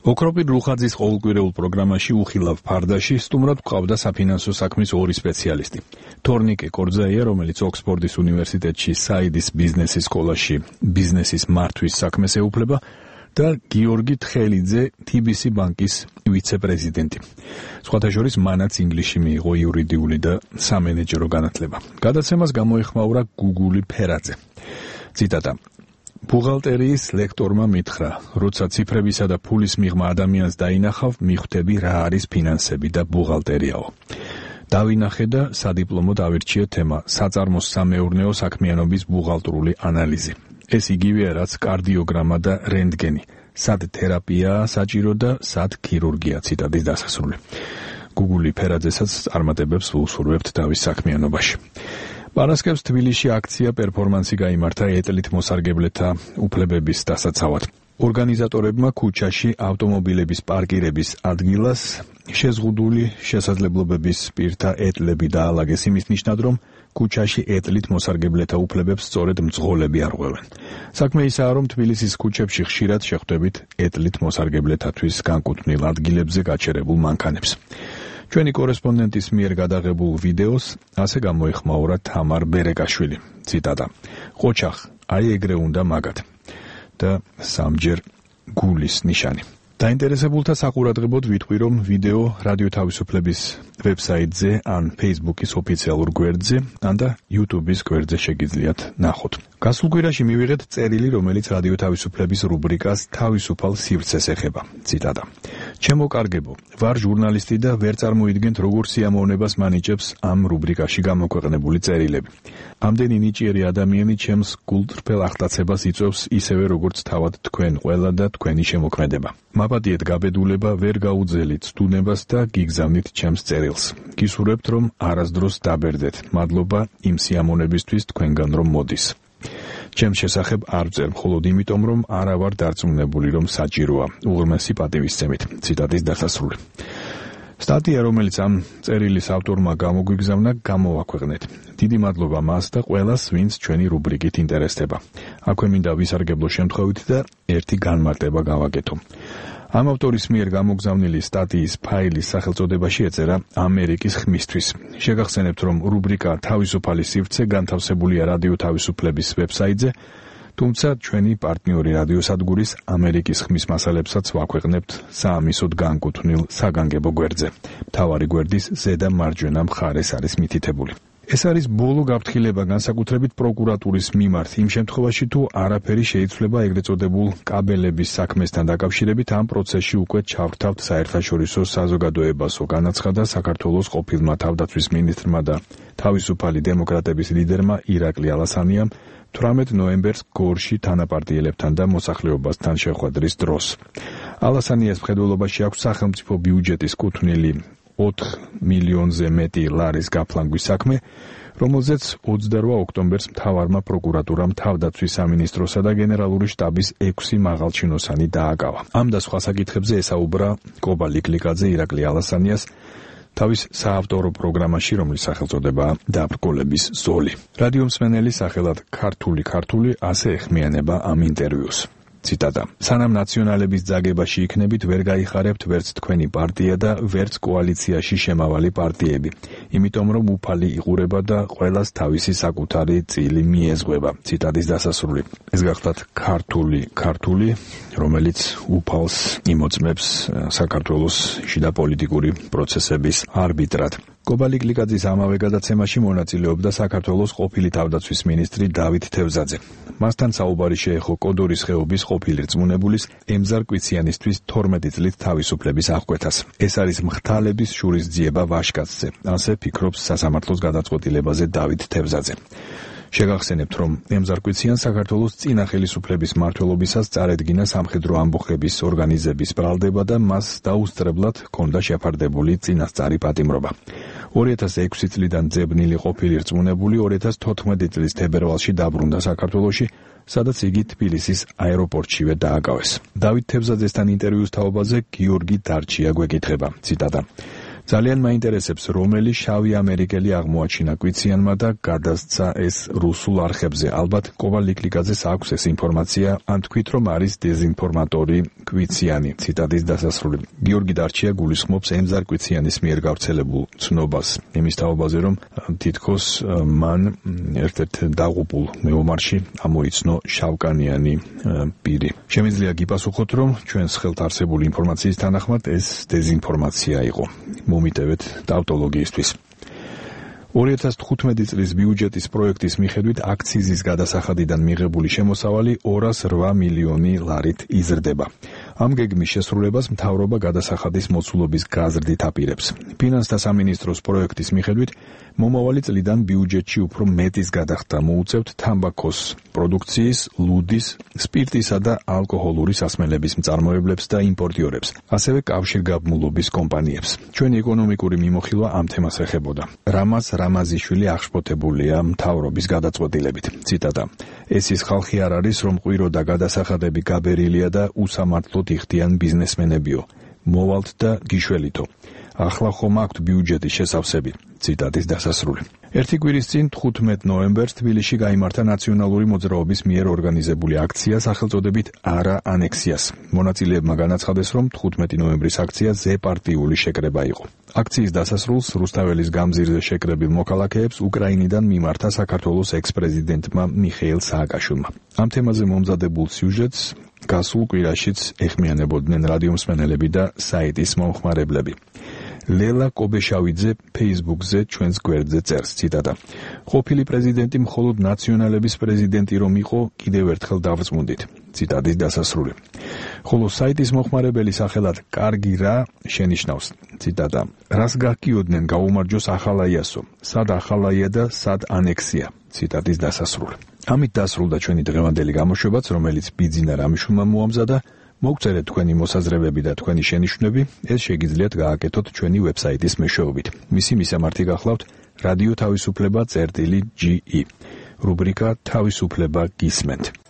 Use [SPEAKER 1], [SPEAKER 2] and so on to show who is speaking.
[SPEAKER 1] ოქროპირ რუხაძის ყოველკვირეულ პროგრამაში უხილავ ფარდაში სტუმრად გვყავდა საფინანსო საქმის ორი სპეციალისტი. თორნიკე კორძაია, რომელიც ოქსფორდის უნივერსიტეტში საიდის ბიზნესის სკოლაში ბიზნესის მართვის საქმეს ეუფლება და გიორგი თხელიძე, TBC ბანკის ვიცე-პრეზიდენტი. სხვათა შორის მანაც ინგლისში მიიღო იურიდიული და სამენეჯერო განათლება. გადაცემას გამოეხმაურა გუგული ფერაძე. ციტატა: ბუღალტერიის ლექტორმა მითხრა, როცა ციფრებისა და ფულის მიღმა ადამიანს დაინახავ, მიხვდები რა არის ფინანსები და ბუღალტერიაო. დავინახე და სადიპლომო დავირჩიე თემა საწარმოს სამეურნეო საქმიანობის ბუღალტრული ანალიზი. ეს იგივეა, რაც კარდიოგრამა და რენტგენი. სად თერაპიაა საჭირო და სად ქირურგია. ციტატის დასასრული. გუგული ფერაძესაც წარმატებებს ვუსურვებთ თავის საქმიანობაში. პარასკევს თბილისში აქცია პერფორმანსი გაიმართა ეტლით მოსარგებლეთა უფლებების დასაცავად. ორგანიზატორებმა ქუჩაში ავტომობილების პარკირების ადგილას შეზღუდული შესაძლებლობების პირთა ეტლები დაალაგეს იმის ნიშნად, რომ ქუჩაში ეტლით მოსარგებლეთა უფლებებს სწორედ მძღოლები არღვევენ. საქმე ისაა, რომ თბილისის ქუჩებში ხშირად შეხვდებით ეტლით მოსარგებლეთათვის განკუთვნილ ადგილებზე გაჩერებულ მანქანებს. ჩვენი კორესპონდენტის მიერ გადაღებულ ვიდეოს ასე გამოეხმაურა თამარ ბერეკაშვილი. ციტატა: ყოჩახ, აი ეგრე უნდა მაგათ და სამჯერ გულის ნიშანი. დაინტერესებულთა საყურადღებოდ ვიტყვი, რომ ვიდეო რადიო თავისუფლების ვებსაიტზე ან Facebook-ის ოფიციალურ გვერდზე, ან და YouTube-ის გვერდზე შეგიძლიათ ნახოთ. გასულ კვირაში მივიღეთ წერილი, რომელიც რადიო თავისუფლების რუბრიკას თავისუფალ სივრცეს ეხება. ციტატა: ჩემო კარგებო, ვარ ჟურნალისტი და ვერ წარმოიდგენთ, როგორ სიამოვნებას მანიჭებს ამ რუბრიკაში გამოქვეყნებული წერილები. ამდენი ნიჭიერი ადამიანი ჩემს გულწრფელ ახტაცებას იწვევს ისევე, როგორც თავად თქვენ ყველა და თქვენი შემოქმედება. მაპატიეთ გაბედულება, ვერ გაუძელით ცდუნებას და გიგზავნით ჩემს წერილს. გისურვებთ, რომ არასდროს დაბერდეთ. მადლობა იმ სიამოვნებისთვის თქვენგან რომ მოდის. ჩემს შესახებ არ ვწერ, მხოლოდ იმიტომ, რომ არა ვარ დარწმუნებული, რომ საჭიროა. უღრმესი პატივისცემით. ციტატის დასასრული. სტატია, რომელიც ამ წერილის ავტორმა გამოგვიგზავნა, გამოვაქვეყნეთ. დიდი მადლობა მას და ყველას, ვინც ჩვენი რუბრიკით ინტერესდება. აქვე მინდა ვისარგებლო შემთხვევით და ერთი განმარტება გავაკეთო. ამ ავტორის მიერ გამოგზავნილი სტატიის ფაილის სახელწოდებაში ეწერა ამერიკის ხმისთვის. შეგახსენებთ, რომ რუბრიკა თავისუფალი სივრცე განთავსებულია რადიო თავისუფლების ვებსაიტზე, თუმცა ჩვენი პარტნიორი რადიოსადგურის ამერიკის ხმის მასალებსაც ვაქვეყნებთ საამისოდ განკუთვნილ საგანგებო გვერდზე. მთავარი გვერდის ზედა მარჯვენა მხარეს არის მითითებული. ეს არის ბოლო გაფრთხილება განსაკუთრებით პროკურატურის მიმართ იმ შემთხვევაში, თუ არაფერი შეიცვლება ეგრეთ წოდებულ კაბელების საქმესთან დაკავშირებით. ამ პროცესში უკვე ჩავრთავთ საერთაშორისო საზოგადოებასო, განაცხადა საქართველოს ყოფილმა თავდაცვის მინისტრმა და თავისუფალი დემოკრატების ლიდერმა ირაკლი ალასანიამ 18 ნოემბერს გორში თანაპარტიელებთან და მოსახლეობასთან შეხვედრის დროს. ალასანიას მხედველობაში აქვს სახელმწიფო ბიუჯეტის კუთვნილი 4 მილიონზე მეტი ლარის გაფლანგვის საქმე, რომელზეც 28 ოქტომბერს მთავარმა პროკურატურამ თავდაცვის სამინისტროსა და გენერალური შტაბის 6 მაღალჩინოსანი დააკავა. ამ და სხვა საკითხებზე ესაუბრა კობა ლიკლიკაძე ირაკლი ალასანიას თავის საავტორო პროგრამაში, რომლის სახელწოდებაა დაბრკოლების ზოლი. რადიო მსმენელი სახელად ქართული ასე ეხმიანება ამ ინტერვიუს. ციტატა: სანამ ნაციონალების ძაგებაში იქნებით, ვერ გაიხარებთ ვერც თქვენი პარტია და ვერც კოალიციაში შემავალი პარტიები. იმიტომ რომ უფალი იყურება და ყველას თავისი საკუთარი წილი მიეზღვება. ციტატის დასასრული. ეს გახლავთ ქართული, რომელიც უფალს იმოწმებს საქართველოს შიდა პოლიტიკური პროცესების არბიტრად. კობა ლიკლიკაძის ამავე გადაცემაში მონაწილეობდა საქართველოს ყოფილი თავდაცვის მინისტრი დავით თევზაძე. მასთან საუბარი შეეხო კოდორის ხეობის ყოფილი რწმუნებულის ემზარ კვიციანისთვის 12 წლით თავისუფლების აღკვეთას. ეს არის მღთალების შურისძიება ვაშკაცზე, ასე ფიქრობს სასამართლოს გადაწყვეტილებაზე დავით თევზაძე. შეგახსენებთ, რომ ემზარ კვიციანს საქართველოს წინა ხელისუფლების მმართველობისას წარედგინა სამხედრო ამბოხების ორგანიზების ბრალდება და მას დაუსწრებლად ჰქონდა შეფარდებული წინასწარი პატიმრობა. 2006 წლიდან ძებნილი ყოფილი რწმუნებული 2014 წლის თებერვალში დაბრუნდა საქართველოში, სადაც იგი თბილისის აეროპორტშივე დააკავეს. დავით თევზაძესთან ინტერვიუს თაობაზე გიორგი დარჩია გვეკითხება. ციტატა: ძალიან მაინტერესებს, რომელი შავი ამერიკელი აღმოაჩინა კვიციანმა და გადასცა ეს რუსულ არხებზე. ალბათ კოვალ-ლიკლიკაძეს აქვს ეს ინფორმაცია, ან თქვით, რომ არის დეზინფორმატორი კვიციანი. ციტატის დასასრული. გიორგი დარჩია გულისხმობს ემზარ კვიციანის მიერ გავრცელებულ ცნობას იმის თაობაზე, რომ თითქოს მან ერთ-ერთ დაღუპულ მეომარში ამოიცნო შავკანიანი პირი. შემიძლია გიპასუხოთ, რომ ჩვენს ხელთ არსებული ინფორმაციის თანახმად ეს დეზინფორმაცია იყო. მომიტევეთ ტავტოლოგიისთვის. 2015 წლის ბიუჯეტის პროექტის მიხედვით აქციზის გადასახადიდან მიღებული შემოსავალი 208 მილიონი ლარით იზრდება. ამ გეგმის შესრულებას მთავრობა გადასახადის მოცულობის გაზრდით აპირებს. ფინანსთა სამინისტროს პროექტის მიხედვით მომავალი წლიდან ბიუჯეტში უფრო მეტის გადახდა მოუწევთ თამბაქოს პროდუქციის, ლუდის, სპირტისა და ალკოჰოლური სასმელების მწარმოებლებს და იმპორტიორებს, ასევე კავშირგაბმულობის კომპანიებს. ჩვენი ეკონომიკური მიმოხილვა ამ თემას ეხებოდა. რამაზ რამაზიშვილი აღშფოთებულია მთავრობის გადაწყვეტილებით. ციტატა: ეს ის ხალხი არ არის, რომ ყვირო და გადასახადები გაბერილია და უსამართლოდ იხდიან ბიზნესმენებიო. მოვალთ და გიშველითო. ახლა ხომ აქვთ ბიუჯეტის შესავსები. ციტატის დასასრული. ერთი კვირის წინ 15 ნოემბერს თბილისში გაიმართა ნაციონალური მოძრაობის მიერ ორგანიზებული აქცია სახელწოდებით არა ანექსიას. მონაწილეებმა განაცხადეს, რომ 15 ნოემბრის აქცია ზეპარტიული შეკრება იყო. აქციის დასასრულს რუსთაველის გამზირზე შეკრებილ მოქალაქეებს უკრაინიდან მიმართა საქართველოს ექს-პრეზიდენტმა მიხეილ სააკაშვილმა. ამ თემაზე მომზადებულ სიუჟეტს გასულ კვირაშიც ეხმიანებოდნენ რადიომსმენელები და საიტის მომხმარებლები. ლელა კობეშავიძე ფეისბუქზე ჩვენს გვერდზე წერს, ციტატა: ყოფილი პრეზიდენტი მხოლოდ ნაციონალების პრეზიდენტი რომ იყო, კიდევ ერთხელ დავწმუნდით. ციტატის დასასრული. ხოლო საიტის მომხმარებელი სახელად კარგი რა შენიშნავს, ციტატა: რას გაგიოდნენ გაუმარჯოს ახალაიასო, სად ახალაია და სად ანექსია. ციტატის დასასრული. ამით დასრულდა ჩვენი დღევანდელი გამოშვებაც, რომელიც ბიძინა რამიშვილმა მოამზადა. მოგწერეთ თქვენი მოსაზრებები და თქვენი შენიშვნები, ეს შეგიძლიათ გააკეთოთ ჩვენი ვებსაიტის მეშვეობით. მისი მისამართი გახლავთ რადიო თავისუფლება წერტილი GE. რუბრიკა თავისუფლება გისმენთ.